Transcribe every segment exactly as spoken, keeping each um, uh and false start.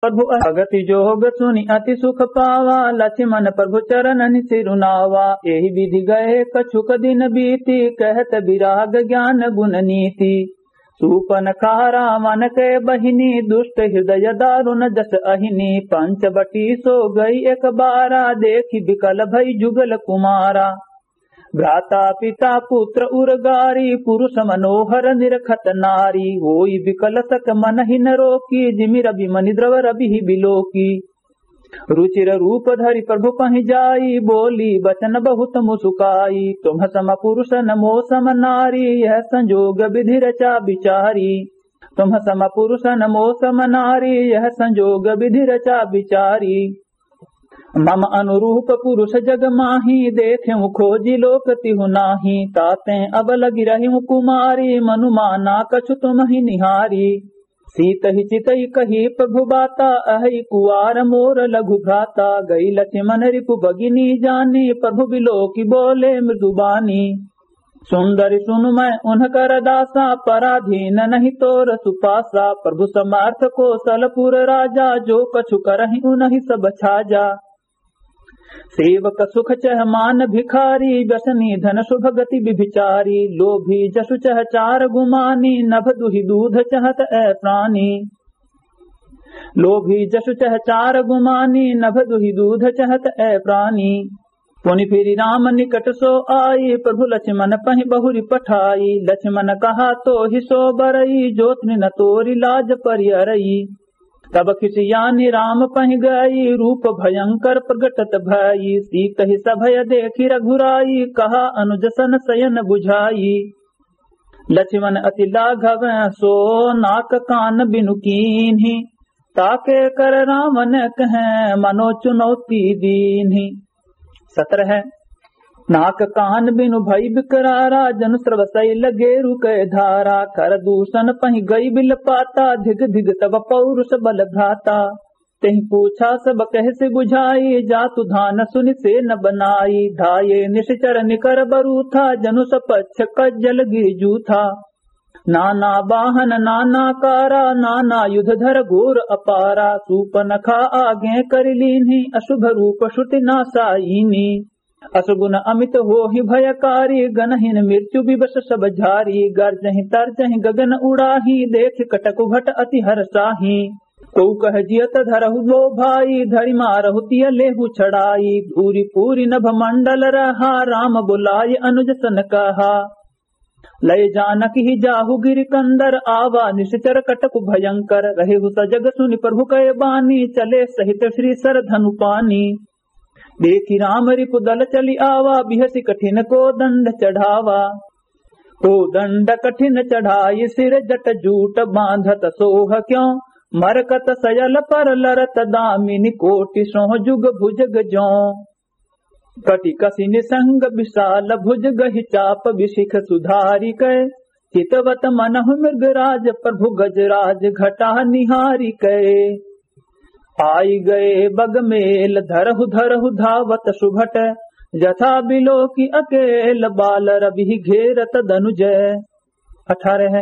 प्रभु अगति जोग सुनि अति सुख पावा, लक्ष्मण प्रभु चरणनि सिरुनावा। एहि विधि गए कछुक दिन बीती, कहत विराग ज्ञान गुण नीति। सूपनखा रावण के बहिनी, दुष्ट हृदय दारुण जस अहिनी। पंचवटी सो गई एक बारा, देखि विकल भई जुगल कुमारा। भ्राता पिता पुत्र उर गारी, पुरुष मनोहर निरखत नारी। होई विकल सक मनहि न रोकी, जिमि रवि मनि द्रव रविहि बिलोकी। रुचिर रूप धरि प्रभु पहि जाई, बोली वचन बहुत मुसुकाई। तुम सम पुरुष न मो सम नारी, यह संजोग विधि रचा विचारी। तुम सम पुरुष न मो सम नारी, यह संजोग विधि रचा विचारी। मम अनुरूप पुरुष जग माही, देखेउ खोजि लोक तिहु नाही। तातें अब लगि रहिउ कुमारी, मनु माना कछु तुमहि निहारी। सीतहि चितहि कही प्रभु बाता, अहइ कुआर मोर लघु भ्राता। गई लक्ष्मण रिपु भगिनी जानी, प्रभु बिलोकि बोले मृदु बानी। सुंदरि सुनु मैं उनकर दासा, पराधीन नहीं तोर सुपासा। प्रभु समर्थ कोसलपुर राजा, जो कछु करहिं उनहि सब छाजा। सेवक सुख चह मान भिखारी, व्यसनी धन सुभ गति विभिचारी। लोभी जसु चह चार गुमानी, नभ दुहि दूध चहत ए प्राणी। लोभी जसु चह चार गुमानी, नभ दुहि दूध चहत ए प्राणी। पुनि फिरि राम निकट सो आई, प्रभु लक्ष्मण पहि बहुरि पठाई। लक्ष्मण कहा तोहि सो बरई, जो तृन तोरि लाज परिअरई। तब खिसियानि राम पहि गई, रूप भयंकर प्रगटत भई। सीतहि सभय देखि रघुराई, कहा अनुज सन सयन बुझाई। लक्ष्मण अति लाघव सो, नाक कान बिनु कीन्हि। ताके कर रावण कहँ मनो चुनौती दीन्हि। सत्रह। नाक कान बिनु भई बिकरारा, जनु स्रव सैल गेरु कै धारा। खर दूषण पहि गई बिलपाता, धिग धिग तब पौरुष बल भ्राता। तेहि पूछा सब कहसि बुझाई, जातु धान सुनि सेन बनाई। धाये निशिचर निकर बरूथा, जनु सपच्छ कज्जल गिरि जूथा। नाना बाहन नाना कारा, नाना युध धर घोर अपारा। सूपनखा आगें करि लीन्ही, अशुभ रूप श्रुति नासाइनी। असगुन अमित होहि भयकारी, गनहिन मृत्यु विवश सब झारी। गर्जहि तर्जहि गगन उड़ाही, देखि कटकु भट अति हरसाही। कोउ कह जियत धरहु दो भाई, धरि मारहु तिय लेहु छड़ाई। धूरि पूरि नभ मंडल रहा, राम बुलाय अनुज सन कहा। लय जानकि ही जाहु गिरि कंदर, आवा निशिचर कटकु भयंकर। रहेहु सजग सुनि प्रभु कय बानी, चले सहित श्री सर धनु पानी। देखि राम रिपु दल चलि आवा, बिहसि कठिन कोदंड चढ़ावा। कोदंड कठिन चढ़ाई सिर जट जूट, बांधत सोह क्यों मरकत सयल पर लरत, दामिनि कोटि सोह जुग भुजग ज्यों। कटि कसि निसंग विशाल भुज, गहि चाप बिशिख सुधारि कै। चितवत मनहु मृगराज प्रभु गजराज, घटा निहारि कै। आइ गए बग मेल धरहु धरहु धावत सुभट, जथा बिलोकि अकेल बाल रविहि घेरत दनुज। अठारह।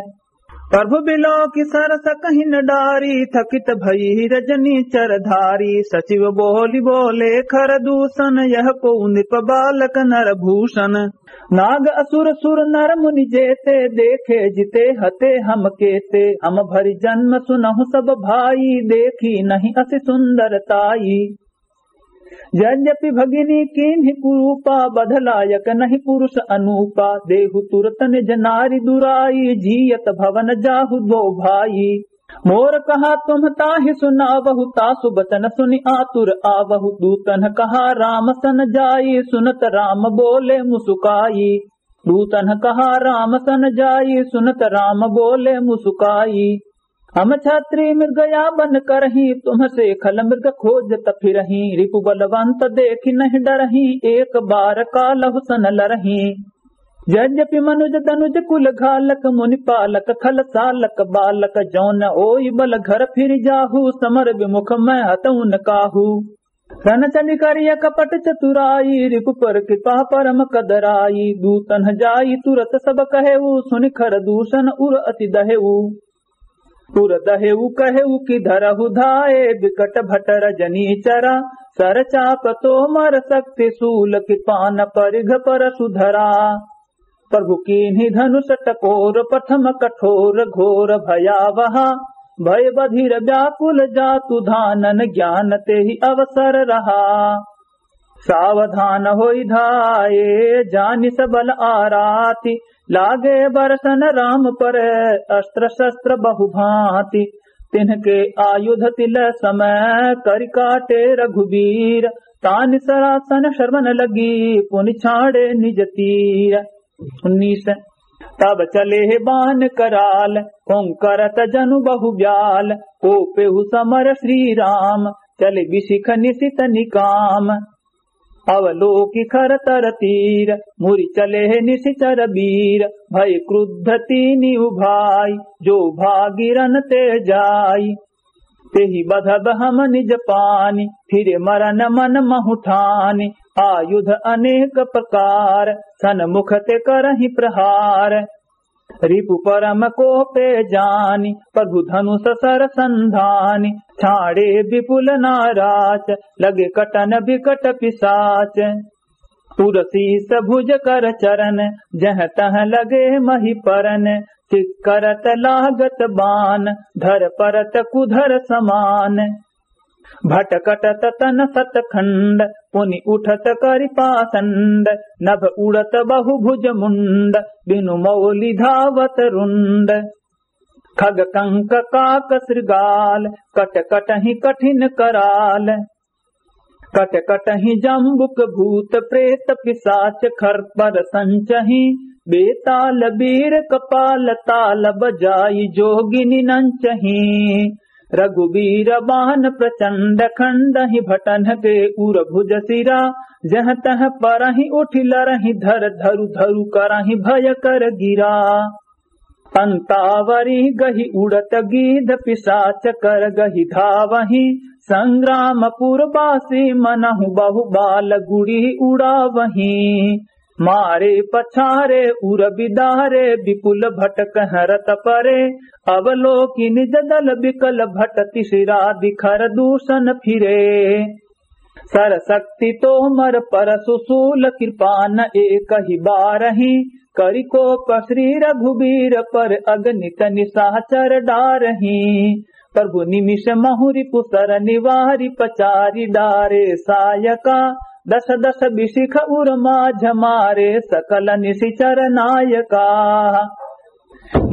प्रभु बिलोकि सरस कहि न डारी, थकित भई रजनीचर धारी। सचिव बोलि बोले खर दूषण, यह कोउ नृप बालक नर भूषण। नाग असुर सुर नर मुनि जेते, देखे जिते हते हम केते। हम भरि जन्म सुनहु सब भाई, देखी नहीं असि सुंदर ताई। यद्यपि भगिनी कीन्हि कुरूपा, बध लायक नहीं पुरुष अनूपा। देहु तुरत निज नारि दुराई, जीयत भवन जाहु दो भाई। मोर कहा तुम ताहि सुनावहु, तासु बचन सुनि आतुर आवहु। दूतन कहा राम सन जाई, सुनत राम बोले मुसुकाई। दूतन कहा राम सन जाई, सुनत राम बोले मुसुकाई। हम क्षत्री मृग या बन करहीं, तुमसे खल मृग खोजत फिरहीं। रिपु बलवंत देखि नहीं डरहीं, एक बार कालहु सन लरहीं। यद्यपि मनुज दनुज कुल घालक, मुनि पालक खल सालक बालक। जौन ओइ बल घर फिरि जाहु, समर विमुख मैं हतउन काहू। सन चलि करिय कपट चतुराई, रिपु पर कृपा परम कदराई। दूतन जाई तुरत सब कहेउ, सुनि खर दूषण उर अति दहेउ। उर दहेउ कहेउ कि धरहु धाए, बिकट भट रजनी चरा। सर चाप तोमर शक्ति सूल, किरपान परिघ परसु धरा। प्रभु कीन्ही धनुष टकोर, प्रथम कठोर घोर भयावहा। भय बधिर व्याकुल जातु, धानन ज्ञान तेहि अवसर रहा। सावधान होइ धाए, जानि सबल आराति। लागे बरसन राम पर, अस्त्र शस्त्र बहु भाँति। तिन्हके आयुध तिल समय, करि काटे रघुबीर। तानि सरासन श्रवण लगी, पुनि छाड़े निज तीर। उन्नीस। तब चले बान कराल, ओंकारत जनु बहु ब्याल। कोपेहु समर श्री राम, चले बिशिख निशित निकाम। अवलोकि खर तर तीर, मुरि चले निशिचर बीर। भय क्रुद्ध तीनि उभाई, जो भागि रन ते जाई। तेहि बधब हम निज पानि, फिरे मरन मन महु ठानि। आयुध अनेक प्रकार, सन्मुख ते करहिं प्रहार। रिपु परम कोपे जानि, प्रभु धनुष सर संधानि। छाड़े विपुल नाराच, लगे कटन बिकट पिसाच। उर शीस भुज कर चरन, जह तह लगे महि परन। चिक्करत लागत बान, धर परत कुधर समान। भटकटत तन सत खंड, पुनि उठत करि पासंड। नभ उड़त बहु भुज मुंड, बिनु मौलि धावत रुंड। खग कंक काक शृगाल, कट कटहि कठिन कराल। कट कटहि जम्बुक भूत प्रेत पिसाच खर पर संचहि। बेताल बीर कपाल ताल बजाई जोगिनि नंचहि। रघुबीर बान प्रचंड खंडहि भटन के उर भुज सिरा। जह तह परहि उठि लरहि धर धरु धरु करहि भयकर गिरा। अंतावरी गहि उड़त गीध पिसाच कर गहि धावहि। संग्रामपुर बासी मनहु बहु बाल गुड़ी उड़ावहि। मारे पछारे उर बिदारे विपुल भट कह रत परे। अवलोकि निज दल बिकल भट तिसिरा दिखर दूषण फिरे। सर शक्ति तोमर परसु सूल कृपान एकहि बारहि। करि कोप श्री रघुबीर पर अगणित निशाचर डारहि। प्रभु निमिष महु रिपु सर निवारि पचारि डारे सायका। दस दस बिशिख उर माझ मारे सकल निशिचर नायका।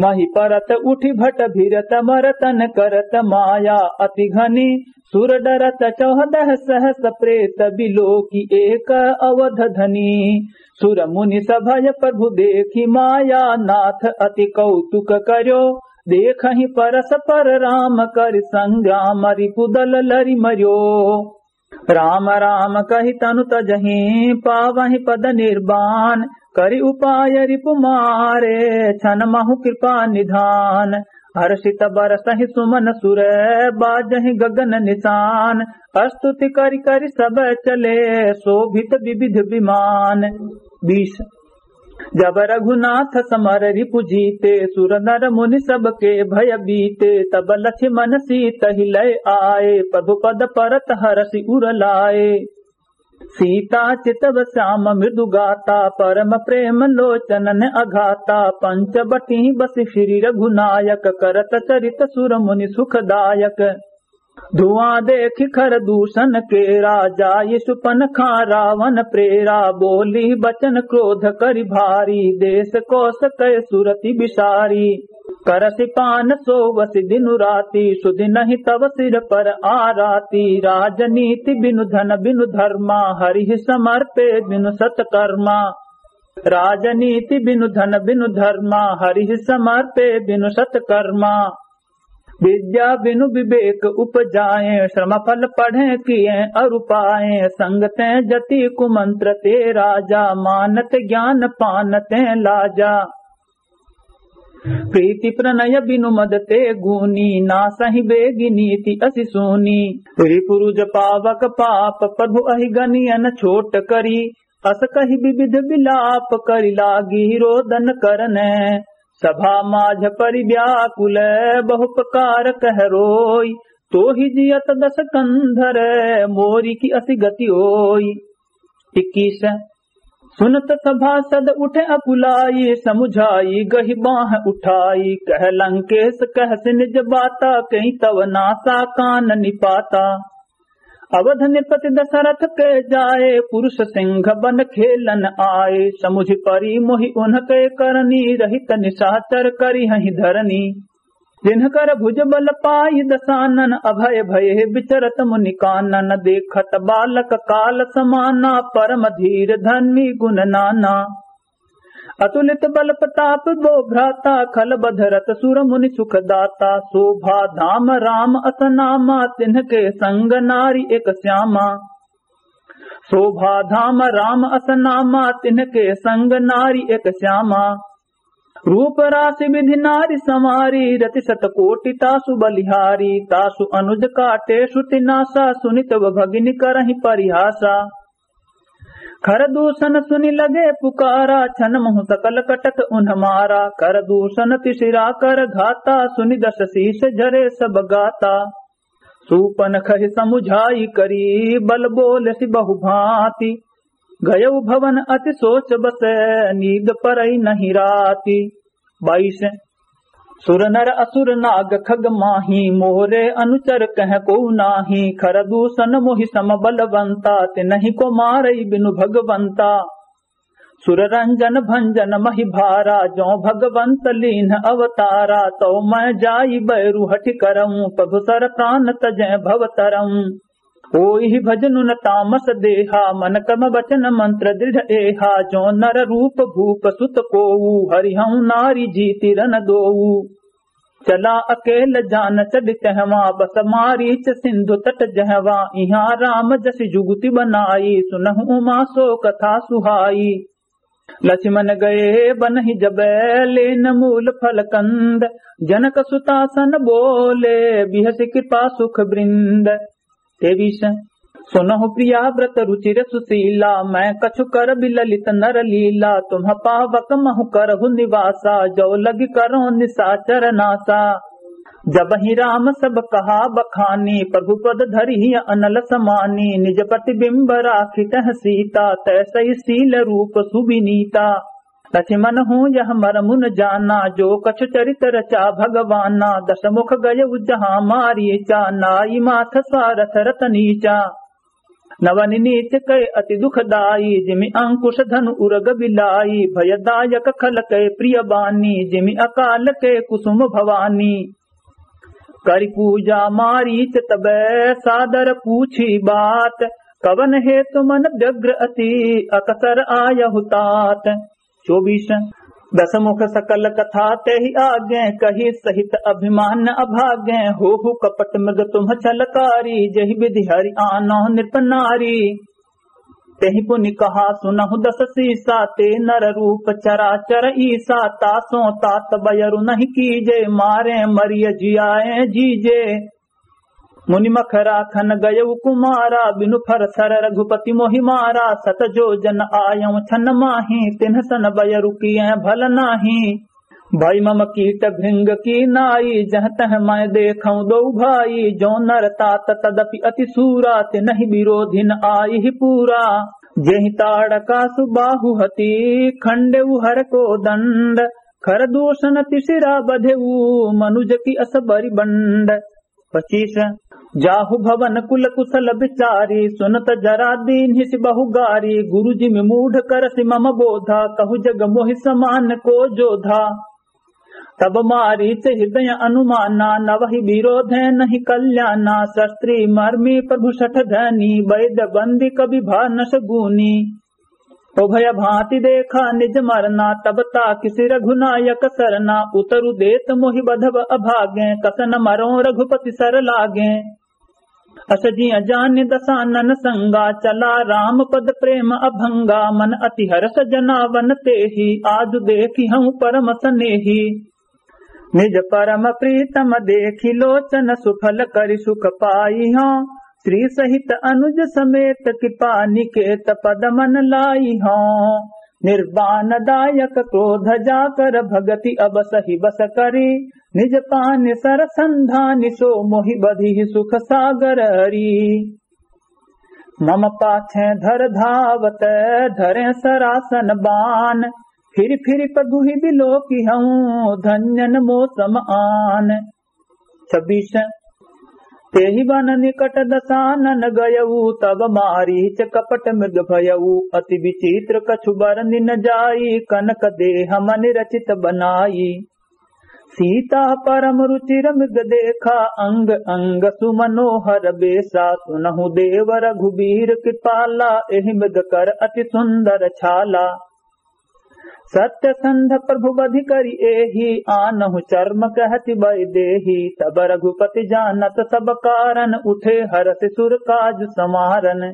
महि परत उठि भट भिरत मरतन करत माया अति घनी। सुर डरत चौदह सहस प्रेत बिलोकि एक अवध धनी। सुर मुनि सभय प्रभु देखि माया नाथ अति कौतुक कर्यो। देखहि परस्पर राम करि संग्राम रिपु दल लरि मर्यो। राम राम कहि तनु तजहि पावहि पद निर्वाण। करि उपाय रिपु मारे छन महु कृपा निधान। हर्षित बरसहि सुमन सुर बाजहि गगन निशान। स्तुति करि करि सब चले शोभित विविध विमान। बीस। जब रघुनाथ समर रिपु जीते सुर नर मुनि सबके भय बीते। तब लक्ष्मण सीतहि लय आए प्रभु पद परत हरषि उर लाए। सीता चितव श्याम मृदु गाता परम प्रेम लोचनन अघाता। पंचवटी बसि श्री रघुनायक करत चरित सुर मुनि सुखदायक। धुआं देखि खर दूषण केरा जाई सुपनखा रावण प्रेरा। बोली बचन क्रोध करि भारी देस कोस कै सुरति बिसारी। करसि पान सोवसि दिनु राति सुदिनहिं तव सिर पर आराति। राजनीति बिनु धन बिनु धर्मा हरिहि समर्पे बिनु सतकर्मा। राजनीति बिनु धन बिनु धर्मा हरिहि समर्पे बिनु सतकर्मा। विद्या बिनु विवेक उपजाए श्रम फल पढ़े किए अरु पाए। संग ते जति कुमंत्र ते राजा मानत ज्ञान पानते लाजा। प्रीति प्रणय बिनु मद ते गूनी नासहि बेगि नीति असि सूनी। रिपुरुज पावक पाप प्रभु अहि गनियन छोट करी। अस कहि विविध विलाप करि लागी रोदन करने। सभा माझ परि व्याकुल बहु प्रकार कह रोई। तोहि जियत दस कंधर मोरी की अति गति होई। इक्कीस। सुनत सभासद उठे अकुलाई, समुझाई गहि बाँह उठाई। कह लंकेस कहसि निज बाता, कहि तव नासा काननि पाता। अवध नृपति दशरथ के जाए, पुरुष सिंह बन खेलन आए। समुझि परि मोहि उनके करनी, रहित निशाचर करिहहि धरनी। जिनकर भुज बल पाई दसानन, अभय भये विचरत मुनि कानन। देखत बालक काल समाना, परम धीर धर्मी गुण नाना। अतुलित बल प्रताप बो भ्राता, खल बध रत सुर मुनि सुख दाता। शोभा धाम राम अस नामा, तिनके संग नारी एक श्यामा। शोभा धाम राम अस नामा, तिनके संग नारी एक श्यामा। रूप रास विधि नारि सँवारी, रति सत कोटि तासु बलिहारी। तासु अनुज काटे श्रुति नासा, सुनि तब भगिनि करहिं परिहासा। खरदूषण सुनि लगे पुकारा, छन महु सकल कटक उन्ह मारा। खरदूषण तिसिरा कर घाता, सुनि दस शीश झरे सब गाता। सूपन खहि समुझाई करी, बल बोलसि बहु भाँति। गयउ भवन अति सोच बस, नींद परई नहीं राति। बाईस। सुर नर असुर नाग खग माही, मोरे अनुचर कह को नाही। खरदूषण मोहि सम बलवंता, तिनहि को मारई बिनु भगवंता। सुर रंजन भंजन महि भारा, जो भगवंत लीन्ह अवतारा। तौ मैं जाई बैरु हठि करऊँ, प्रभु सर प्रान तजै भव तरऊँ। होइहि भजन उन तामस देहा, मन क्रम वचन मंत्र दृढ़ एहा। जो नर रूप भूप सुत कोऊ, हरिहउँ नारी जीति रन दोऊ। चला अकेल जान चढ़ि तहवाँ, बस मारीच सिंधु तट जहवाँ। इहाँ राम जसि जुगुति बनाई, सुनहु उमा सो कथा सुहाई। लछिमन गए बनहि जब लेन मूल फल कंद, जनक सुतासन बोले बिहसि कृपा सुख वृंद। तेवीस। सुनहु प्रिया व्रत रुचिर सुशीला, मैं कछु करबि ललित नर लीला। तुम्ह पावक महु करहु निवासा, जौ लगि करौं निसाचर नासा। जबहिं राम सब कहा बखानी, प्रभु पद धरिहिं अनल समानी। निज प्रतिबिंब राखि तह सीता, तैसइ शील रूप सुविनीता। लछिमन हूँ यह मरमुन जाना, जो कछु चरित रचा भगवाना। दसमुख गयउ जहाँ मारीचा, नाई माथ सारथ रत नीचा। नवनि नीच कै अति दुखदाई, जिमि अंकुश धनु उरग बिलाई। भयदायक खल कै प्रिय बानी, जिमि अकाल कै कुसुम भवानी। करि पूजा मारीच तबै सादर पूछी बात, कवन हेतु मन व्यग्र अति अकसर आयहु तात। चौबीस। दसमुख सकल कथा तेहि आगे, कहि सहित अभिमान अभागे। होहु कपट मृग तुम्ह छलकारी, जेहि विधि हरि आनहु नृप नारी। तेहि पुनि कहा सुनहु दस सीसा, ते नर रूप चराचर ईसा। तासों तात बयरु नहीं कीजे, मारे मरिय जियाए जीजे। मुनि मखरा खन गयउ कुमारा, बिनु फर सर रघुपति मोहि मारा। सत जो जन आयउ छन माही, तिन्ह सन बयरु किए भल नाही। भई मम कीट भृंग की नाई, जह तह मैं देखउँ दो भाई। जो नर तात तदपि अति सूरा, तिनहि विरोधिन आइहि पूरा। जेहि ताड़का सुबाहु हति, खंडेउ हर को दंड। खरदूषण तिसिरा बधेउ, मनुज की अस बरि बंड। पच्चीस। जाहु भवन कुल कुशल बिचारी, सुनत जरा दीन्हिसि बहु गारी। गुरु जिमि मूढ़ करसि मम बोधा, कहु जग मोहि समान को जोधा। तब मारीच हृदय अनुमाना, नवहि विरोधे नहीं कल्याना। शस्त्री मर्मी प्रभु सठ धनी, वैद बंदी कवि भानस गुनी। उभय भाँति देखा निज मरना, तब ताकिसि रघुनायक सरना। उतरु देत मोहि बधब अभागे, कस न मरौं रघुपति सर लागे। अस जिय जानि दसानन संगा, चला राम पद प्रेम अभंगा। मन अति हरष जनावन तेहि, आजु देखिहउँ परम सनेहि। निज परम प्रीतम देखि लोचन, सुफल करि सुख पाइहउँ। श्री सहित अनुज समेत, कृपा निकेत पद मन लाइहउँ। निर्वाण दायक क्रोध जाकर भगति अब सही बस करी। निज पानि सर संधानि सो मोहि बधिहि सुख सागर हरी। मम पाछे धर धावत धरे सरासन बान। फिरि फिरि प्रभुहि बिलोकिहउँ धन्य न मो सम आन। छब्बीस। तेहि वन निकट दसानन गयउ, तब मारीच कपट मृग भयउ। अति विचित्र कछु बरनि न जाई, कनक देह मनि रचित बनाई। सीता परम रुचिर मृग देखा, अंग अंग सुमनोहर बेसा। सुनहु देव रघुबीर कृपाला, एहि मृग कर अति सुंदर छाला। सत्यसंध प्रभु बधि करि एहि, आनहु चर्म कहति वैदेही। तब रघुपति जानत सब कारन, उठे हरषि सुर काज समारन।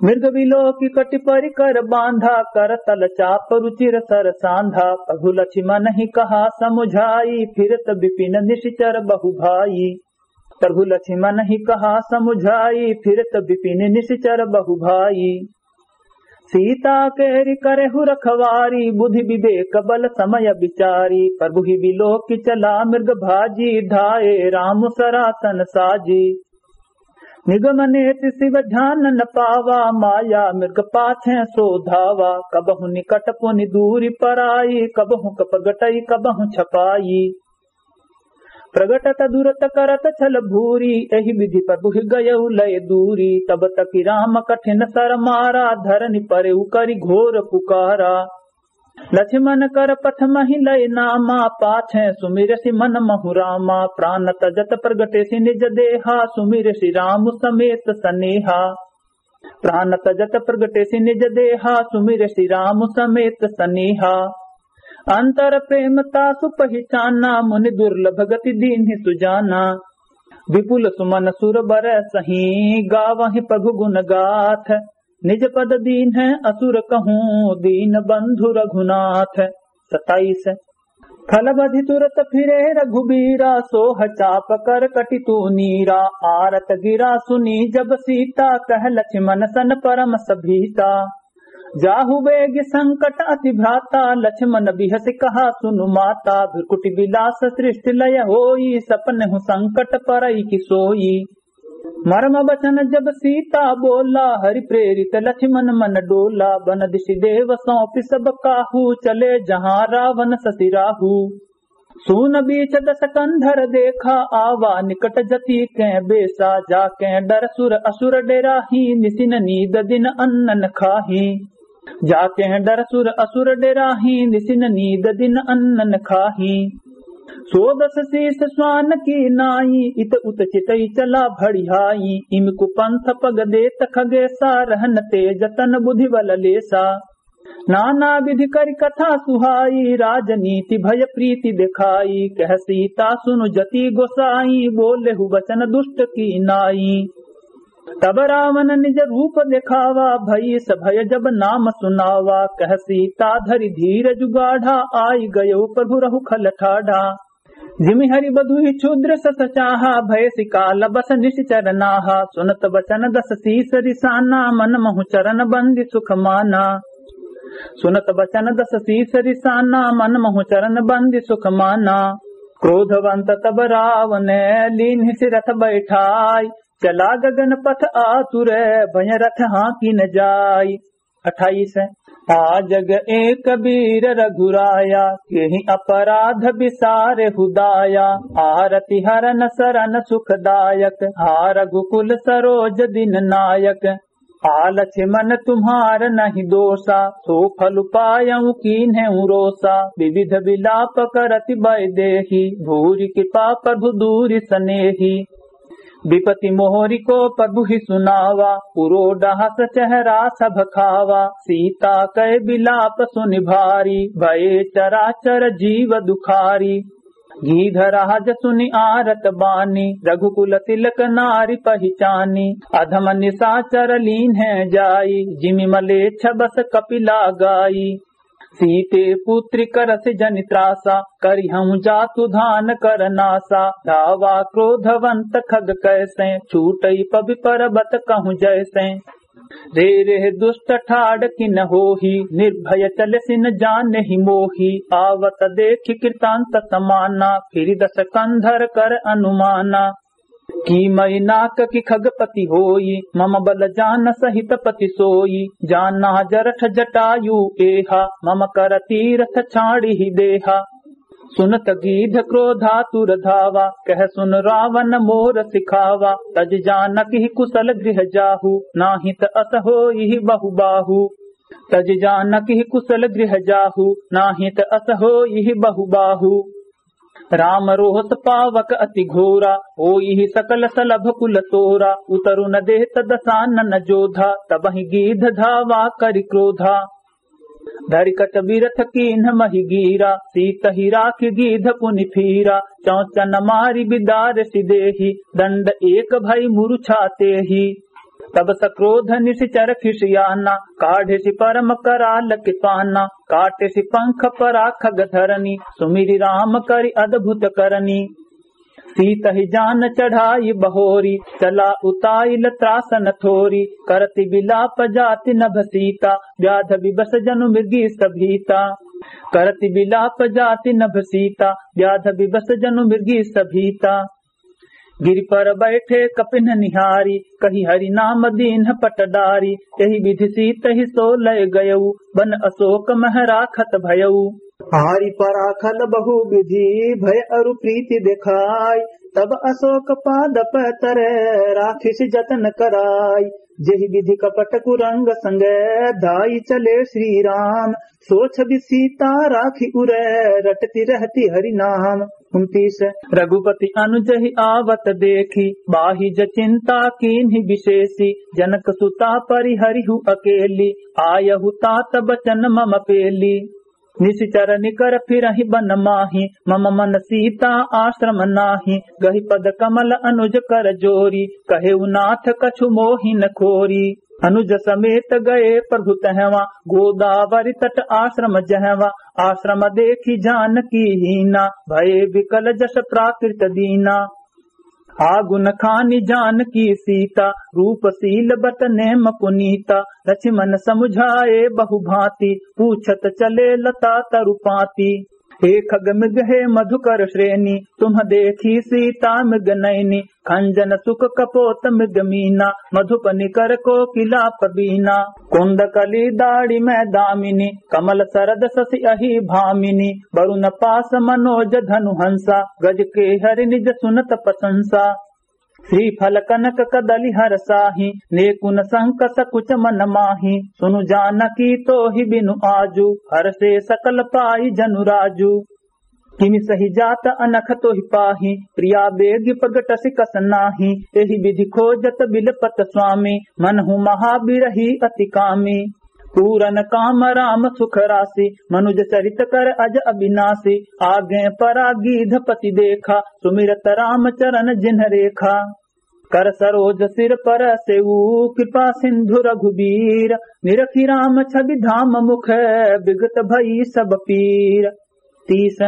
मृग बिलोकि कटि परि कर बाँधा, करतल चाप रुचिर सर साँधा। प्रभु लछिमनहिं कहा समुझाई, फिरत बिपिन निशिचर बहु भाई। प्रभु लछिमनहिं कहा समुझाई, फिरत बिपिन निशिचर बहु भाई। सीता केरि करेहु रखवारी, बुद्धि विवेक बल समय बिचारी। प्रभुहि बिलोकि चला मृग भाजी, धाए राम सरासन साजी। निगम नेति शिव ध्यान न पावा, माया मृग पाछे सो धावा। कबहुँ निकट पुनि दूरि पराई, कबहुँ प्रगटइ कबहुँ छपाई। प्रगटत दुरत करत छल भूरि, एहि विधि प्रभुहि गयउ लय दूरि। तब तकि राम कठिन सर मारा, धरनि परेउ करि घोर पुकारा। लछिमन कर प्रथमहिं लय नामा, पाछे सुमिरसि मन महु रामा। प्रान तजत प्रगटेसि निज देहा, सुमिरसि राम समेत सनेहा। प्रान तजत प्रगटेसि निज देहा, सुमिरसि राम समेत सनेहा। अंतर प्रेम तासु पहिचाना, मुनि दुर्लभ गति दीन्हि सुजाना। विपुल सुमन सुर बरसहिं, गावहिं प्रभु गुन गाथ। निज पद दीन्हैं असुर कहूँ, दीन बंधु रघुनाथ। सताइस। फल बधि तुरत फिरे रघुबीरा, सोह चाप कर कटि तू नीरा। आरत गिरा सुनी जब सीता, कह लछिमन सन परम सभीता। जाहु बेगि संकट अति भ्राता, लछिमन बिहसि कहा सुनु माता। भृकुटि बिलास सृष्टि लय होई, सपनहु संकट परइ कि सोई। मरम बचन जब सीता बोला, हरि प्रेरित लछिमन मन डोला। बन दिशि देव सौंपि सब काहू, चले जहाँ रावन ससि राहू। सून बीच दस कंधर देखा, आवा निकट जति कें बेसा। जाकें डर सुर असुर डेराहीं, निसिन नीद दिन अन्न न खाहीं। जाकें डर सुर असुर डेराहीं, निसिन नीद दिन अन्न न खाहीं। सो दस सीस स्वान की नाई, इत उत चितई चला भड़िहाई। इम कुपंथ पग देत खगेसा, रहन तेज तन बुद्धि बल लेसा। नाना विधि करि कथा सुहाई, राजनीति भय प्रीति देखाई। कह सीता सुनु जति गोसाई, बोलेहु वचन दुष्ट की नाई। तब रावन निज रूप देखावा, भई स भय जब नाम सुनावा। कह सीता धरि धीरजु गाढ़ा, आइ गयो प्रभु रहु खल ठाढ़ा। जिमि हरि बधुहि क्षुद्र सस चाहा, भयसि काल बस निशिचर नाहा। सुनत वचन दस सीस रिसाना, मन महु चरण बंदी सुख माना। सुनत वचन दस सीस रिसाना, मन महु चरण बंदी सुख माना। क्रोधवंत तब रावने, लीन्हसि रथ बैठाई। चला गगन पथ आतुर, भय रथ हाँकि न जाई। अट्ठाईस। आ जग एक वीर रघुराया, केहि अपराध बिसारेहु दाया। आरति हरन सरन सुखदायक, हा रघुकुल सरोज दिन नायक। आ लछिमन तुम्हार नहिं दोसा, सो फल पायउ कीन्हेउ रोसा। विविध विलाप करति वैदेही, भूरि कृपा प्रभु दूरि सनेही। विपति मोहरि को प्रभुहि सुनावा, पुरो डहस चेहरा सब खावा। सीता कै विलाप सुनि भारी, भये चराचर जीव दुखारी। गीधराज सुनि आरत बानी, रघुकुल तिलक नारि पहिचानी। अधम निसाचर लीन्हे जाई, जिमि मलेच्छ बस कपिला गाई। सीते पुत्रि करसि जनि त्रासा, करिहउँ जातु धान कर नासा। धावा क्रोधवंत खग कैसें, छूटइ पबि परबत कहूँ जैसें। रे रे दुष्ट ठाड़ किन होही, निर्भय चलसि न जानेहि मोही। आवत देखि कृतांत समाना, फिरि दस कंधर कर अनुमाना। कीमहि नाककि खगपति होई, मम बल जान सहित पति सोई। जाना जरठ जटायु एहा, मम कर तीरथ छाड़िहि देहा। सुनत गीध क्रोधातुर धावा, कह सुन रावन मोर सिखावा। तजि जानकहि कुसल गृह जाहु, नाहित अस होइहि बहु बाहु। तजि जानकहि कुसल गृह जाहु, नाहित अस होइहि बहु बाहु। राम रोष पावक अति घोरा, होइहि सकल सलभ कुल तोरा। उतरु न देत दसानन जोधा, तबहिं गीध धावा करि क्रोधा। धरि कच बिरथ कीन्ह महि गीरा, सीतहि राखि गीध पुनि फीरा। चौचन मारि बिदारसि देहि, दंड एक भई मुरुछा तेहि। तब सक्रोध निशिचर खिसियाना, काढ़िसि परम कराल के पाना। काटिसि पंख परा खग धरनी, सुमिरि राम करि अद्भुत करनी। सीतहि जान चढ़ाई बहोरी, चला उताइल त्रासन थोरी। करति बिलाप जाति नभ सीता, व्याध विवश जनु मृगीस भीता। करति बिलाप जाति नभ सीता, व्याध विवश जनु मृगीस भीता। गिरि पर बैठे कपिन्ह निहारी, कहि हरि नाम दीन्ह पट डारी। एहि विधि सीतहि सो लय गयउ, बन अशोक मह राखत भयउ। हारि पराखल बहु विधि भय अरु प्रीति देखाय। तब अशोक पादप तरे राखिसि जतन कराय। जेहि विधि कपट कुरंग संग धाइ चले श्री राम। सो छवि सीता राखि उरे रटति रहति हरि नाम। उनतीस। रघुपति अनुजहि आवत देखि बाहि जचिंता कीन्हि विशेषि। जनक सुता परिहरिहु अकेली आयहु तात बचन मम पेली। निशिचर निकर फिरहिं बन माहि, मम मन सीता आश्रम नाहि। गहि पद कमल अनुज कर जोरी, कहेउ नाथ कछु मोहि न खोरी। अनुज समेत गए प्रभु तहवाँ, गोदावरी तट आश्रम जहवाँ। आश्रम देखि जानकी हीना, भए विकल जस प्राकृत दीना। आगुन खानि जानकी सीता, रूप सील बत नेम पुनीता। लछिमन समुझाए बहु भाँति, पूछत चले लता तरु पाँति। हे खग मृग हे मधुकर श्रेणी, तुम्ह देखि सीता मृग नैनी। खंजन सुख कपोत मृग मीना, मधुप निकर कोकिला पबीना। कुंद कली दाड़ि मै दामिनी, कमल सरद ससि अहि भामिनी। वरुन पास मनोज धनु हंसा, गज केहरि निज सुनत प्रशंसा। श्रीफल कनक कदली हर साही, नेकुन संक सकुच मन माही। सुनु जानकी तोहि बिनु आजु, हरषे सकल पाइ जनु राजु। किमि सहि जात अनख तोहि पाही, प्रिया बेगि प्रगटसि कस नाही। एहि विधि खोजत बिलपत स्वामी, मनहु महाबिरही अति कामी। पूरन काम राम सुख रासि, मनुज चरित कर अज अबिनासि। आगे परा गीधपति देखा, सुमिरत राम चरन जिन्ह रेखा। कर सरोज सिर परसेउ, कृपा सिंधु रघुबीर। निरखि राम छवि धाम मुख, विगत भई सब पीर। तीस।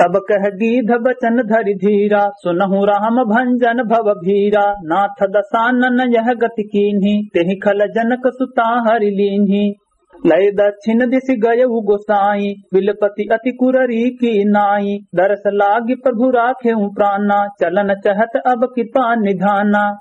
तब कह गीध बचन धरि धीरा, सुनहु राम भंजन भव भीरा। नाथ दसानन यह गति कीन्ही, तेहि खल जनक सुता हरि लीन्ही। लय दक्षिण दिसि गयउ गोसाई, बिलपति अति कुररी की नाई। दरस लागि प्रभु राखेउ प्राना, चलन चहत अब कृपा निधाना।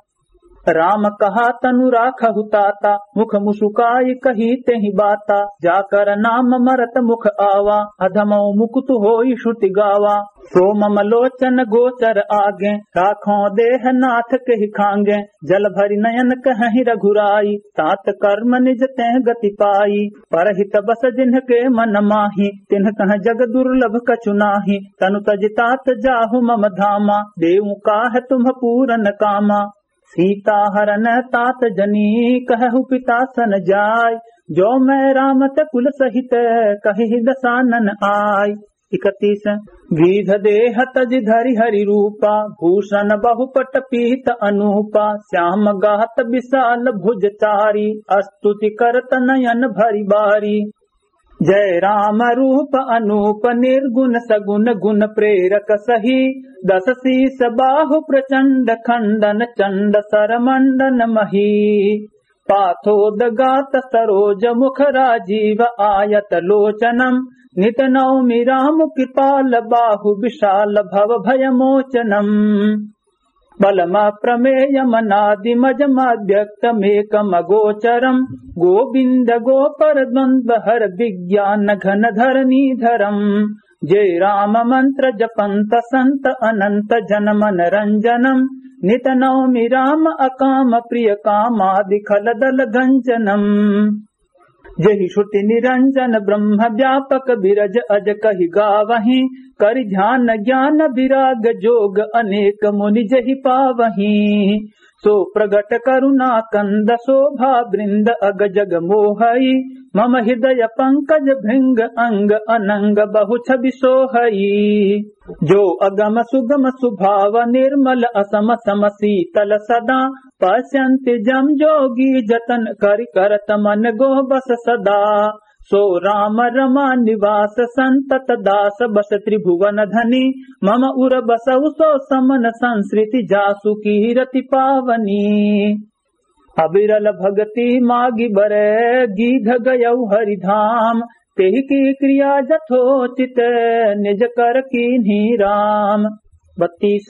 राम कहा तनु राखहु ताता, मुख मुसुकाइ कही तेहि बाता। जाकर नाम मरत मुख आवा, अधमउ मुकुत होई श्रुति गावा। सो मम लोचन गोचर आगे, राखो देह नाथ केहि खांगे। जल भरि नयन कहहिं रघुराई, तात कर्म निज तेह गति पाई। परहित बस जिन्हके मन माही, तिन्ह कह जग दुर्लभ कछु नाही। तनु तजि तात जाहु मम धामा, देउ काह तुम्ह पूरन कामा। सीता हरन तात जनी कहु पिता सन जाय, जो मै राम त कुल सहित कहिहि दसानन आय। इकतीस। गीध देह तजि धरि हरि रूपा, भूषण बहुपट पीत अनूपा। श्याम गात विशाल भुज चारी, अस्तुति करत नयन भरि बारी। जय राम रूप अनूप निर्गुण सगुण गुण प्रेरक सही। दस शीस बाहु प्रचंड खंडन चंड सर मंडन मही। पाथोदगात सरोज मुख राजीव आयत लोचनम। नित नौमि राम कृपाल बाहु विशाल भव भय मोचनम। बलम प्रमेयमनादिमजमव्यक्तमेकमगोचरम। गोविंद गोपर द्वंद्व हर विज्ञान घन धरणीधरम। जय राम मंत्र जपंत संत अनंत जन मन रंजनम। नित नौमि राम अकाम प्रिय कामादि खल दल गंजनम। जहि श्रुति निरंजन ब्रह्म व्यापक बिरज अज कहि गावहीं। करि ध्यान ज्ञान विराग जोग अनेक मुनि जहि पावहीं। सो प्रगट करुणा कंद शोभा वृंद अग जग मोहई। मम हृदय पंकज भृंग अंग अनंग बहु छवि सोहई। जो अगम सुगम सुभाव निर्मल असम सम शीतल सदा। पश्यन्ति जम जोगी जतन करि करत मन गोह बस सदा। सो राम रमा निवास संतत दास बस त्रिभुवन धनी। मम उर बसउ सो समन संसृति जासु कीरति पावनी। अविरल भगति मागि बरे गीध गयउ हरि धाम। तेहि की क्रिया जथोचित निज कर कीन्ही राम। बत्तीस।